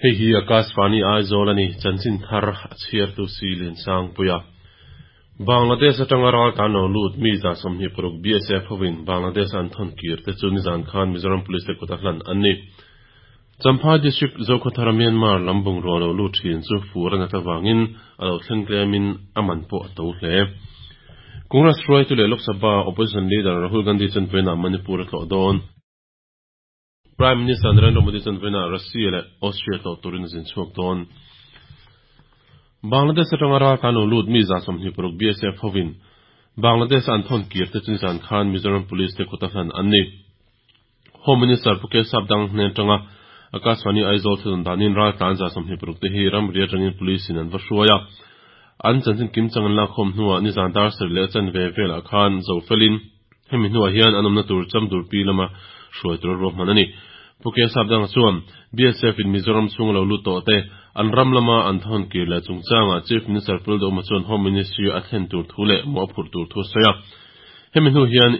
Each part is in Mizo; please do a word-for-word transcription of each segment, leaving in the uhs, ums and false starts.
Hei hi Akashvani Aizawl a ni, chanchin thar a chhiartu si Liansangpuia. Bangladesh atanga ral tan lo lut mi za sawmhnih paruk B S F hovin Bangladesh an thawn kir te chu nizan khan Mizoram Police te kut a hlan an ni. Champhai District Zokhawthara Myanmar lam bungrua lo lut thin chu fur a nat avangin a lo thleng tlemin a man pawh a to hle. Congress hruaitu leh Lok Sabha Opposition Leader Rahul Gandhi chuan vawiinah Manipur a tlawh dawn. Prime Minister Narendra Modi chuan vawiinah Russia leh Austria tlawh turin a zin chhuak dawn. Bangladesh atanga ral tan lo lut mi za sawmhnih paruk B S F hovin Bangladesh an thawn kir te chu nizan khan Mizoram Police te kut a hlan an ni. Home Minister Pu Kesap Dang hnen atanga Akashvani Aizawl thudun danin ral tlan za sawmhnih paruk te hi ramri atangin police in an va hruai a. An chanchin kim chang an lakkhawm hnuah nizan dar sarih leh chan ve velah khan zo felin hemi hnuah hian an awmna tur chamdur pi lama hruai tur a ruahman a ni. Pu Kesap Dang chuan B S F in Mizoram chhung lo lut tawh te an ram lama an thawn kir leh chungchangah Chief Minister Pu Lalduhoma chuan Home Ministry a thlen tur thu leh mawh a phurh tur thu a sawi a. Hemi hnu hian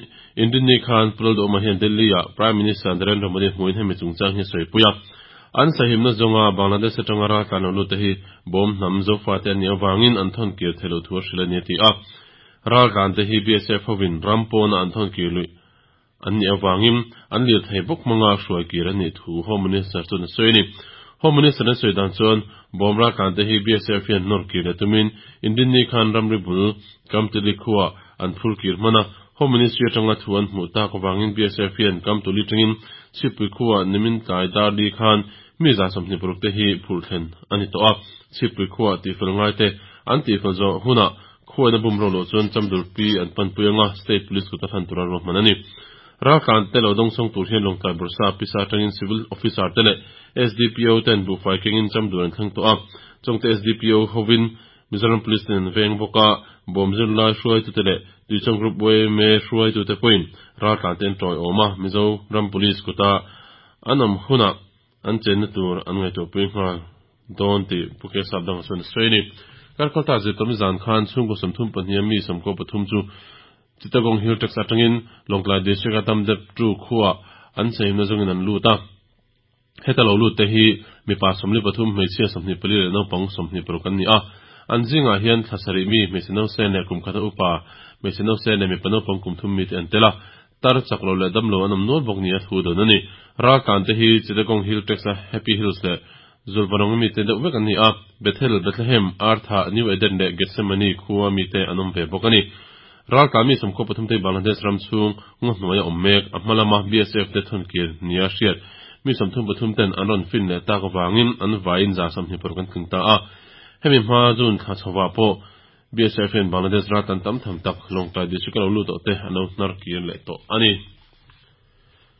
Indini khan Pu Lalduhoma hian Delhi ah Prime Minister Narendra Modi hmuin hemi chungchang hi a sawi pui a. An sahimna zawnga Bangladesh atanga ral tlan lo lut te hi bawm hnam zofa te an nih avangin an thawn kir theilo thu a hrilh a ni a ti a. Ral tlan te hi B S F hovin ram pawna an thawn kir luih an nih avangin an lir thei bawk hmanga hruai kir an nih thu Home Minister chuan a sawi a ni. Home Minister an sawi dan chuan bawm ral tlan te hi B S F hian nawr kir leh tumin Indini khan ramri bul Kamtili khuah an phur kir hman a. Home Ministry atanga thu an hmuh tak avangin B S F hian Kamtuli tangin Chhipui khuah nimin tlai dar li khan mi za sawmhnih paruk te hi phurh thlen a ni tawh a. Chhipui khuah tihfel ngai te an tihfel zawh hunah khuaina bum ro loh chuan chamdur pi an panpui anga State Police kut a hlan tur a ruahman a ni. Ral tlan te lo dawngsawng tur hian Lawngtlai Bursa pisa atangin Civil Officer te leh S D P O ten buhfai kengin chamdur an thleng tawh a. Chawngte S D P O hovin Mizoram Police ten an veng bawk a, bawm zirlai hruaitu te leh Tuichawng Group Y M A hruaitu te pawhin ral tlan te an tawi awm a. Mizoram Police kuta an awm hunah an chenna tur an ngaihtuahpui nghal dawn tih Pu Kesap Dang chuan a sawi a ni. Karkal ta zirtawm zan khan chhungkaw sawmthum pahnih a mi sawmkaw pathum chu Chittagong Hill Tracts atangin Lawngtlai District a Damdep tu khuah an sahimna zawngin an lut a. Heta lo lut te hi mipa sawmli pathum hmeichhia sawmhnih pali leh naupang sawmhnih paruk an ni a. An zingah hian thla sarih mi hmeichhe no sen leh kum khata upa hmeichhe no sen leh mipa naupang kum thum mi te an tel a. Tar chak lo leh dam lo an awm nual bawk ni a thu dawn a ni. Ral tlan te hi Chittagong Hill Tracts a Happy Hills leh Zulvanong mi te deuh vek an ni a. Bethel, Bethlehem, Artha, New Eden leh Gethsemane khuwa mi te an awm ve bawk a ni. Ral tlan mi sawmkhaw pathum te Bangladesh ram chhung ngaw hnuai a awm mek a hma lama B S F te thawn kir nia hriat mi sawmthum pathum ten an rawn fin leh tak avangin an vaiin za sawmhnih paruk an tling ta a. Hemi hma zun thla chhawah pawh B S F hian Bangladesh ral tan tam tham tak Lawngtlai District a lo lut tawh te an lo hnar kir leh tawh a ni.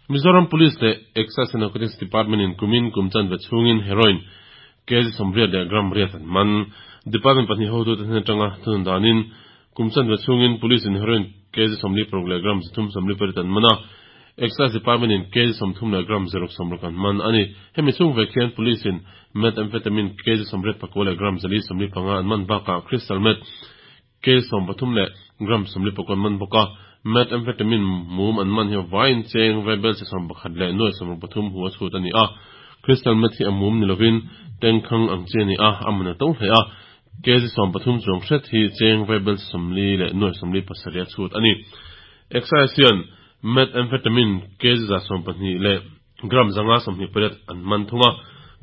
Mizoram Police leh Excise and Narcotics Department in kumin kum chan ve chhungin heroin kg sawmriat leh gram riat an man. Department pahnih hotu te hnen atanga thunun danin kum chan ve chhungin police in heroin kg sawmli paruk leh gram zathum sawmli pariat an man a. Excise Department in kg sawmthum leh gram zaruk sawmruk an man a ni. Hemi chhung ve khian police in methamphetamine kg sawmriat pakua leh gram zali sawmli panga an man bakah crystal meth kg sawm pathum leh gram sawmli pakua an man bawk a. Methamphetamine mum an man hi vain cheng vaibel che sawm pakhat leh nuai sawmruk pathum hu a chhut a ni a. Crystal meth hi a mum ni lovin tengkhang ang che ni a, a man a to hle a. Kg sawm pathum chuang hret hi cheng vaibel sawmli leh nuai sawmli pasarih a chhut a ni. Excise hian methamphetamine kg za sawm pahnih leh gram zanga sawmhnih pariat an man thung a.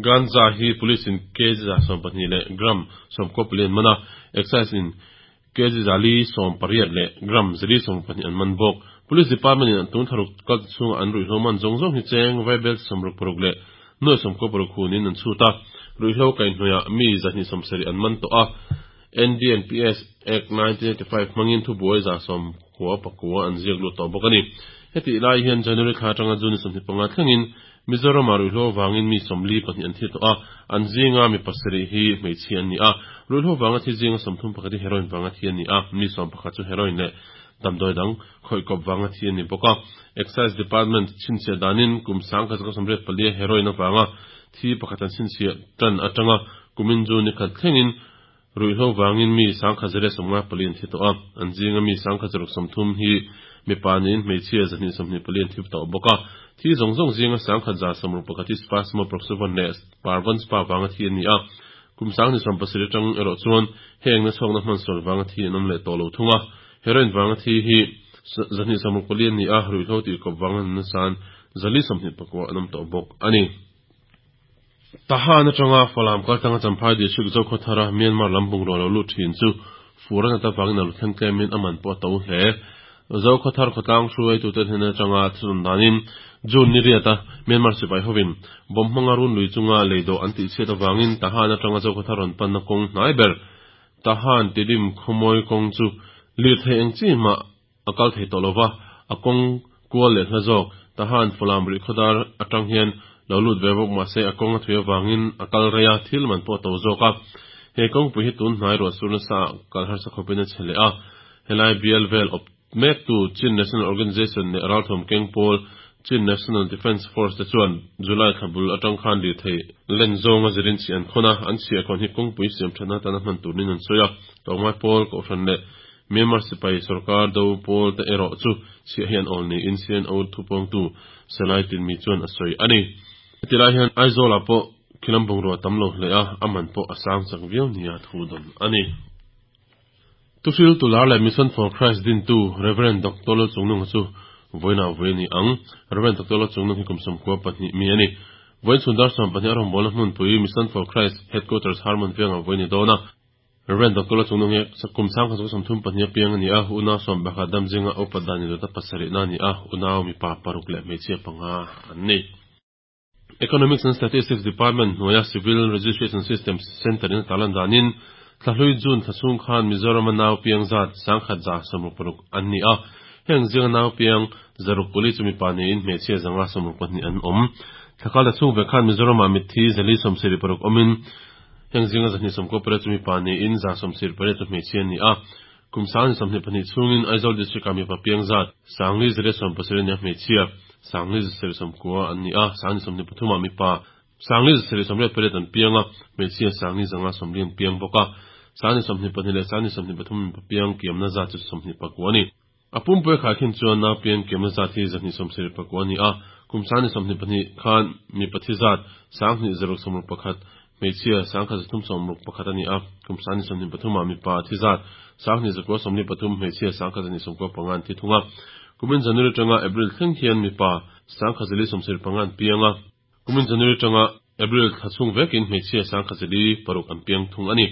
Ganja hi police in kg za sawm pahnih leh gram sawmkaw pali an man a. Excise in kg zali sawm pariat leh gram zali sawm pahnih an man bawk. Police Department in an tun tharuk kal chhunga an ruihhlo man zawng zawng hi cheng vaibel sawmruk paruk leh nuai sawmkaw paruk hunin an chhut a. Ruihhlo kaihhnawih mi zahnih sawmsarih an man tawh a. N D N P S Act nineteen eighty-five hmangin thubuai za sawmkua pakua an ziak lut tawh bawk a ni. Heti lai hian January thla atanga June sawmhnih panga thlengin Mizoram ah ruihhlo vangin mi sawmli pahnih an thi tawh a. An zinga mi pasarih hi hmeichhia an ni a. Ruihhlo vanga thi zinga sawmthum pakhat hi heroin vanga thi an ni a. Mi sawm pakhat chu heroin leh damdawi dang khawihkawp vanga thi an ni bawk a. Excise Department chhinchhiah danin kum sang khat zakua sawmriat palia heroin avanga thi pakhat an chhinchhiah tan atanga kumin June ni khat thlengin Ruihhlo vangin mi sangkhat zariat sawmnga pali an thi tawh a, an zinga mi sangkhat zaruk sawmthum hi mipa niin hmeichhia zahnih sawmhnih pali an thi tawh bawk a. Thi zawng zawng zinga sangkhat za sawmruk pakhat hi Spasmo Proxyvon leh Parvon Spa vanga thi an ni a. Kum sangni sawm pasarih atang erawh chuan heng nachhawkna hmansual vanga thi an awm leh tawh lo thung a. Heroin vanga thi hi zahnih sawmruk pali an ni a, ruihhlo tih kawp vanga nunna san zali sawmhnih pakua an awm tawh bawk a ni. Tahan atanga Falam kaltanga Champhai District Zokhawthara Myanmar lam bungraw lo lut thin chu fur a nat avangin a lu thleng tlemin a man pawh a to hle. Zokhawthar khawtlang hruaitute hnen atanga thilrawn danin June ni riata Myanmar sipai hovin bomb hmanga run lui chunga lei dawh an tihchhiat avangin Tahan atanga Zokhawthar rawn panna kawng hnai ber Tahan Tidim khawmawi kawng chu lirthei eng chi mah a kal thei tawh lova, a kawng kual leh hla zawk Tahan Falam rih khawdar atang hian lo lut ve bawk mahse a kawng a thui avangin a kal rei a, thil man pawh a to zawk a. He kawngpui hi tun hnai ruah sur nasa ah kal harsa khawpin a che leh a. Helai bial vel awp mektu Chin National Organization leh ralthawm keng pawl Chin National Defence Force te chuan July thla bul atang khan lirthei len zawnga zirin chhi an khawn a, an chhiahkhawn hi kawngpui siam thatna atana hman turin an sawi a. Tlawmngai pawl, Kohhran leh Myanmar sipai sorkar do pawl te erawh chu chhiah hi an awl niin C N O thupawngtu Salai Tinmi chuan a sawi a ni. Heti lai hian Aizawl ah pawh khilam bungrua tam lo hle a, a man pawh a sang chak viau nia thu dawn a ni. Thuhril Tular leh Mission for Christ dintu Rev. Doctor Lalchungnunga chu vawiinah vawi a ni ang. Rev. Doctor Lalchungnung hi kum sawmkua pahnih mi a ni. Vawiin chhun dar sawm pahnih a rawngbawlna hmunpui Mission for Christ Headquarters Harmon vengah vawi a ni dawn a. Rev. Doctor Lalchungnung hi kum sangkhat sawm sawmthum pahnih apiang a ni a, unau sawm pakhat dam zinga upa dan indawta pasarihna a ni a, unau mipa paruk leh hmeichhia panga an ni. Economics and Statistics Department hnuaia Civil Registration System Centre in a tarlan danin Thlahlui June thla chhung khan Mizoram a nau piang zat sangkhat za sawmruk paruk an ni a, heng zinga nau piang zaruk puli chu mipa niin hmeichhia zanga sawmruk pahnih an awm. Thlakal thla chhung ve khan Mizoram ah mitthi zali sawmsarih paruk awmin heng zinga zahnih sawmkua pariat chu mipa niin za sawmsarih pariat chu hmeichhia an ni a. Kum sangni sawmhnih pahnih chhungin Aizawl District ah mipa piang zat sangli zariat sawm pasarih a ni a, hmeichhia sangli zasarih sawmkua an ni a, sangni sawmhnih pathumah mipa sangli zasarih sawmriat pariat an piang a, hmeichhia sangli zanga sawmli an piang bawk a. Sangni sawmhnih pahnih leh sangni sawmhnih pathum mipa piang kiamna zat chu sawmhnih pakua a ni. A pumpui khai khin chuan nau piang kiamna zat hi zahnih sawmsarih pakua a ni a, kum sangni sawmhnih pahnih khan mipa thi zat sanghnih zaruk sawmruk pakhat, hmeichhia sangkhat zathum sawmruk pakhat a ni a, kum sangni sawmhnih pathumah mipa thi zat sanghnih zakua sawmli pathum, hmeichhia sangkhat zahnih sawmkua panga an thi thung a. Kumin January atanga April thleng hian mipa sangkhat zali sawmsarih panga an piang a, kumin January atanga April thla chhung vekin hmeichhia sangkhat zali paruk an piang thung a ni.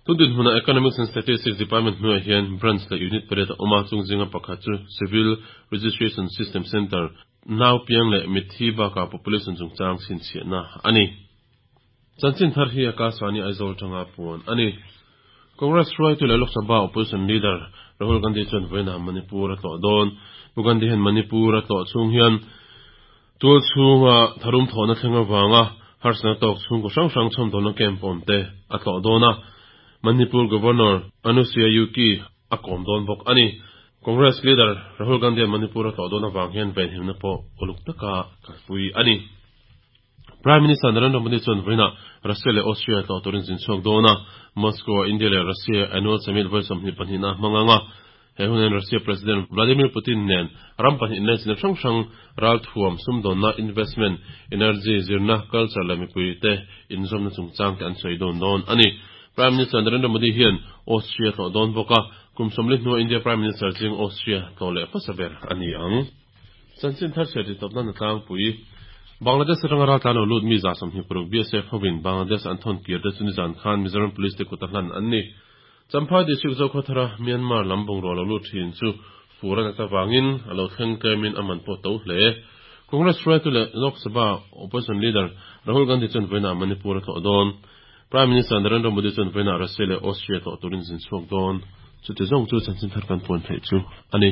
Tun dinhmunah Economics and Statistics Department hnuaiah hian Branch leh Unit pariat a awm a, chung zinga pakhat chu Civil Registration System Centre, nau piang leh mitthi bakah population chungchang chhinchhiahna a ni. Chanchin thar hi Akashvani Aizawl tanga puan a ni. Congress hruaitu leh Lok Sabha Opposition Leader Rahul Gandhi chuan vawiinah Manipur a tlawh dawn. Pu Gandhi hian Manipur a tlawh chhung hian tual chhunga tharum thawhna thleng avanga harsatna tawk chhungkaw hrang hrang chhawmdawlna camp awm te a tlawh dawn a, Manipur Governor Anusuiya Uikey a kawm dawn bawk a ni. Congress Leader Rahul Gandhi hian Manipur a tlawh dawn avang hian venhimna pawh uluk taka kalpui a ni. Prime Minister Narendra Modi chuan vawiinah Russia leh Austria tlawh turin zin chhuak dawn a, Moscow-a India leh Russia Annual Summit vawi sawmhnih pahnihna a hmang ang a. He hunin Russia President Vladimir Putin nen ram pahnih nen chinna hrang hrang ralthuam, sumdawnna, investment, energy, zirna, culture leh mipuite inzawmna chungchang te an sawi dawn dawn a ni. Prime Minister Narendra Modi hian Austria tlawh dawn bawk a, kum sawmli hnua India Prime Minister ching Austria tlawh leh hmasa ber a ni ang. Chanchin thar chhiar tih tawpna tlangpui Bangladesh atanga raltlan lo lut mi za sawmhnih paruk B S F hovin Bangladesh an thawn kir te chu nizan khan Mizoram Police te kut a hlan an ni. Champhai District Zokhawthara Myanmar lam bungraw lo lut thin chu fur a nat avangin a lo thleng tlemin a man pawh to hle. Congress hruaitu leh Lok Sabha Opposition Leader Rahul Gandhi chuan vawiinah Manipur a tlawh dawn. Prime Minister Narendra Modi chuan vawiinah Russia leh Austria tlawh turin zin chhuak dawn. Chuti zawng chu chanchin thar kan puan theih chu a ni.